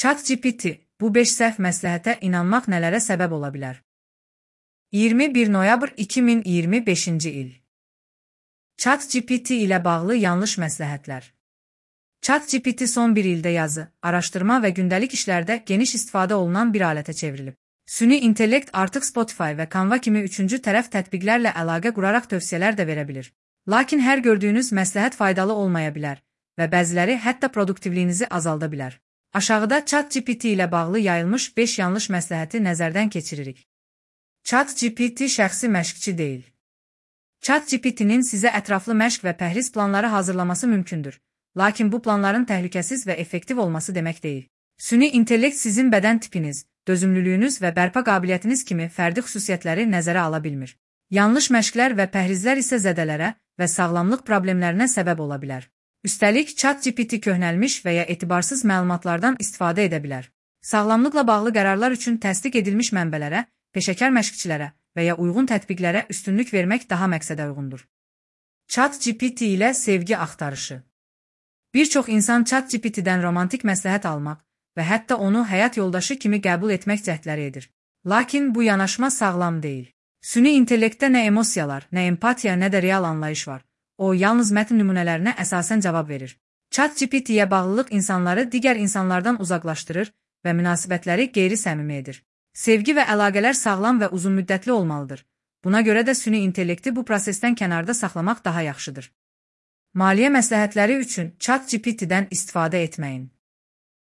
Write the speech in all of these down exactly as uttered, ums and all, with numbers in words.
ChatGPT, bu beş səhv məsləhətə inanmaq nələrə səbəb ola bilər? iyirmi bir noyabr iki min iyirmi beşinci il. ChatGPT ilə bağlı yanlış məsləhətlər. ChatGPT son bir ildə yazı, araşdırma və gündəlik işlərdə geniş istifadə olunan bir alətə çevrilib. Süni intellekt artıq Spotify və Canva kimi üçüncü tərəf tətbiqlərlə əlaqə quraraq tövsiyələr də verə bilir. Lakin hər gördüyünüz məsləhət faydalı olmaya bilər və bəziləri hətta produktivliyinizi azalda bilər. Aşağıda ChatGPT ilə bağlı yayılmış beş yanlış məsləhəti nəzərdən keçiririk. ChatGPT şəxsi məşqçi deyil. ChatGPT-nin sizə ətraflı məşq və pəhriz planları hazırlaması mümkündür. Lakin bu planların təhlükəsiz və effektiv olması demək deyil. Süni intellekt sizin bədən tipiniz, dözümlülüyünüz və bərpa qabiliyyətiniz kimi fərdi xüsusiyyətləri nəzərə ala bilmir. Yanlış məşqlər və pəhrizlər isə zədələrə və sağlamlıq problemlərinə səbəb ola bilər. Üstəlik, ChatGPT köhnəlmiş və ya etibarsız məlumatlardan istifadə edə bilər. Sağlamlıqla bağlı qərarlar üçün təsdiq edilmiş mənbələrə, peşəkar məşqçilərə və ya uyğun tətbiqlərə üstünlük vermək daha məqsədə uyğundur. ChatGPT ilə sevgi axtarışı. Bir çox insan ChatGPT-dən romantik məsləhət almaq və hətta onu həyat yoldaşı kimi qəbul etmək cəhdləri edir. Lakin bu yanaşma sağlam deyil. Süni intellektdə nə emosiyalar, nə empatiya, nə də real anlayış var. O, yalnız mətn nümunələrinə əsasən cavab verir. ChatGPT-yə bağlılıq insanları digər insanlardan uzaqlaşdırır və münasibətləri qeyri-səmimi edir. Sevgi və əlaqələr sağlam və uzunmüddətli olmalıdır. Buna görə də süni intellekti bu prosesdən kənarda saxlamaq daha yaxşıdır. Maliyyə məsləhətləri üçün ChatGPT-dən istifadə etməyin.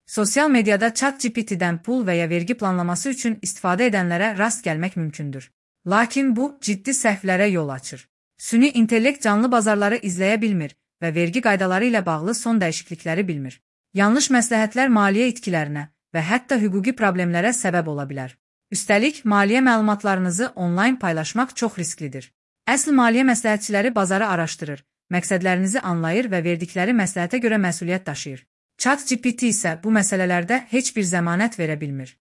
Sosial mediada ChatGPT-dən pul və ya vergi planlaması üçün istifadə edənlərə rast gəlmək mümkündür. Lakin bu, ciddi səhvlərə yol açır. Süni intellekt canlı bazarları izləyə bilmir və vergi qaydaları ilə bağlı son dəyişiklikləri bilmir. Yanlış məsləhətlər maliyyə itkilərinə və hətta hüquqi problemlərə səbəb ola bilər. Üstəlik, maliyyə məlumatlarınızı onlayn paylaşmaq çox risklidir. Əsl maliyyə məsləhətçiləri bazarı araşdırır, məqsədlərinizi anlayır və verdikləri məsləhətə görə məsuliyyət daşıyır. ChatGPT isə bu məsələlərdə heç bir zəmanət verə bilmir.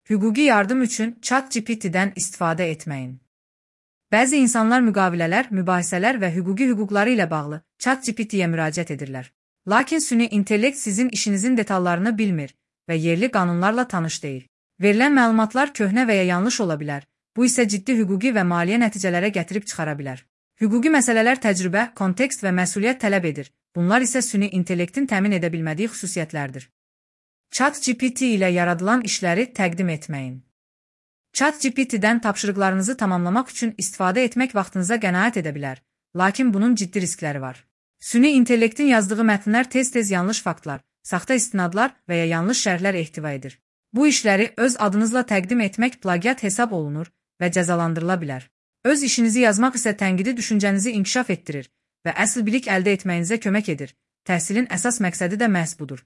Hüquqi yardım üçün ChatGPT-dən istifadə etməyin. Bəzi insanlar müqavilələr, mübahisələr və hüquqi hüquqları ilə bağlı ChatGPT-yə müraciət edirlər. Lakin süni intellekt sizin işinizin detallarını bilmir və yerli qanunlarla tanış deyil. Verilən məlumatlar köhnə və ya yanlış ola bilər. Bu isə ciddi hüquqi və maliyyə nəticələrə gətirib çıxara bilər. Hüquqi məsələlər təcrübə, kontekst və məsuliyyət tələb edir. Bunlar isə süni intellektin təmin edə bilmədiyi xüsusiyyətlərdir. ChatGPT ilə yaradılan işləri təqdim etməyin. ChatGPT-dən tapşırıqlarınızı tamamlamaq üçün istifadə etmək vaxtınıza qənaət edə bilər, lakin bunun ciddi riskləri var. Süni intellektin yazdığı mətnlər tez-tez yanlış faktlar, saxta istinadlar və ya yanlış şərhlər ehtiva edir. Bu işləri öz adınızla təqdim etmək plagiat hesab olunur və cəzalandırıla bilər. Öz işinizi yazmaq isə tənqidi düşüncənizi inkişaf etdirir və əsl bilik əldə etməyinizə kömək edir. Təhsilin əsas məqsədi də məhz budur.